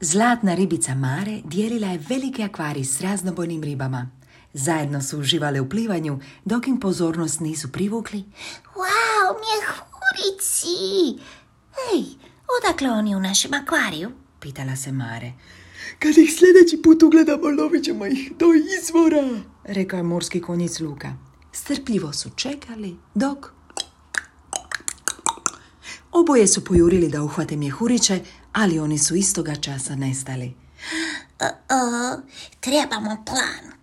Zlatna ribica Mare dijelila je veliki akvarij s raznobojnim ribama. Zajedno su uživale u plivanju, dok im pozornost nisu privukli. Wow, mjehurici! Ej, odakle oni u našem akvariju? Pitala se Mare. Kad ih sljedeći put ugledamo, lovit ćemo ih do izvora, rekao je morski konjic Luka. Strpljivo su čekali dok... Oboje su pojurili da uhvate mjehuriće, ali oni su istoga časa nestali. Trebamo plan.